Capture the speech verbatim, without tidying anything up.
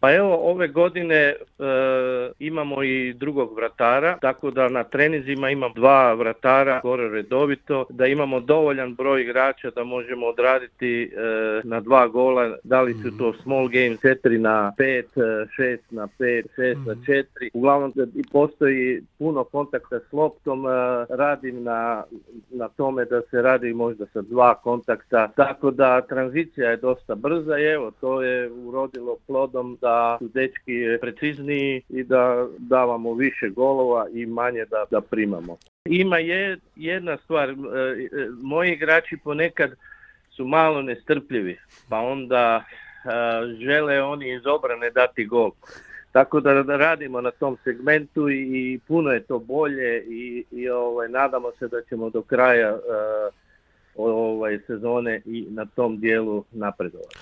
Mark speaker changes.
Speaker 1: Pa evo, ove godine e, imamo i drugog vratara, tako da na treninzima imam dva vratara gore redovito, da imamo dovoljan broj igrača da možemo odraditi e, na dva gola, da li su to small game četiri na pet, šest na pet, šest na četiri. Uglavnom postoji puno kontakta s loptom, e, radim na, na tome da se radi možda sa dva kontakta, tako da tranzicija je dosta brza i evo, to je urodilo plodom da su dečki precizniji i da davamo više golova i manje da, da primamo. Ima je jedna stvar, moji igrači ponekad su malo nestrpljivi, pa onda žele oni iz obrane dati gol. Tako da radimo na tom segmentu i, i puno je to bolje i, i ovaj, nadamo se da ćemo do kraja uh, ovaj, sezone i na tom dijelu napredovati.